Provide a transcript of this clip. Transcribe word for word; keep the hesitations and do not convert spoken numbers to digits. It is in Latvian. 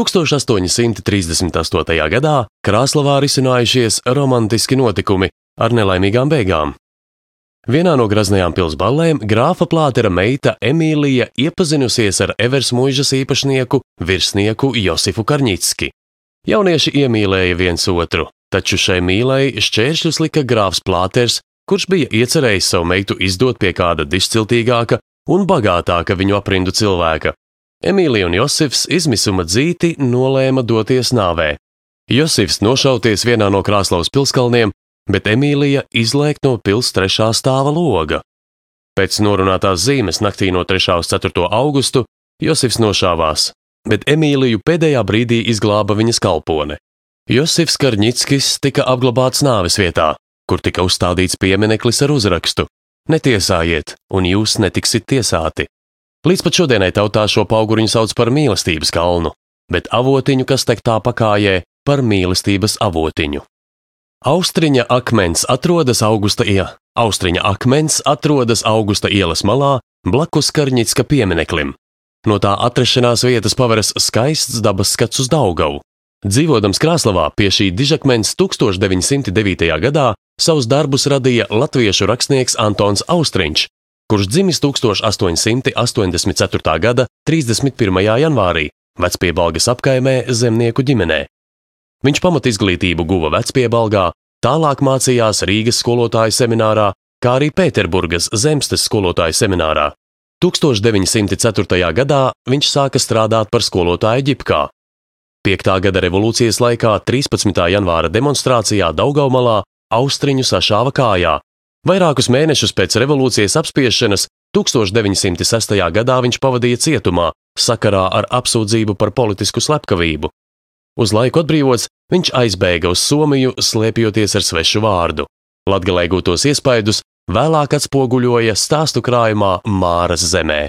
tūkstoš astoņi simti trīsdesmit astotajā gadā Krāslavā risinājušies romantiski notikumi ar nelaimīgām beigām. Vienā no graznajām pils ballēm grāfa Plātera meita Emīlija iepazinusies ar Eversmuižas īpašnieku virsnieku Josifu Karņicki. Jaunieši iemīlēja viens otru, taču šai mīlei šķēršļus lika grāfs Plāters, kurš bija iecerējis savu meitu izdot pie kāda dišciltīgāka un bagātāka viņu aprindu cilvēka. Emīlija un Josifs izmisuma dzīti nolēma doties nāvē. Josifs nošauties vienā no Krāslavas pilskalniem, bet Emīlija izlēkt no pils trešā stāva loga. Pēc norunātās zīmes naktī no trešā uz ceturto augustu Josifs nošāvās, bet Emīliju pēdējā brīdī izglāba viņas kalpone. Josifs Karņickis tika apglabāts nāves vietā, kur tika uzstādīts piemineklis ar uzrakstu: Netiesājiet, un jūs netiksit tiesāti. Līdz pat šodienai tautā šo pauguriņu sauc par mīlestības kalnu, bet avotiņu, kas tek tā pakājē, par mīlestības avotiņu. Austriņa akmens atrodas Augusta iela. Austriņa akmens atrodas Augusta ielas malā, blakus Karņicka piemineklim. No tā atrašanās vietas paveras skaists dabas skats uz Daugavu. Dzīvodams Krāslavā pie šī dižakmens tūkstoš deviņi simti devītajā gadā savus darbus radīja latviešu rakstnieks Antons Austriņš, kurš dzimis tūkstoš astoņi simti astoņdesmit ceturtā gada trīsdesmit pirmajā janvārī Vecpiebalgas apkaimē zemnieku ģimenē. Viņš pamatizglītību guva Vecpiebalgā, tālāk mācījās Rīgas skolotāju seminārā, kā arī Pēterburgas Zemstes skolotāju seminārā. tūkstoš deviņi simti ceturtajā gadā viņš sāka strādāt par skolotāju Ģipkā. Piektā gada revolūcijas laikā trīspadsmitā janvāra demonstrācijā Daugavmalā Austriņu sašāva kājā. Vairākus mēnešus pēc revolūcijas apspiešanas tūkstoš deviņi simti sestajā gadā viņš pavadīja cietumā sakarā ar apsūdzību par politisku slepkavību. Uz laiku atbrīvots, viņš aizbēga uz Somiju, slēpjoties ar svešu vārdu. Latgalē gūtos iespaidus vēlāk atspoguļoja stāstu krājumā Māras zemē.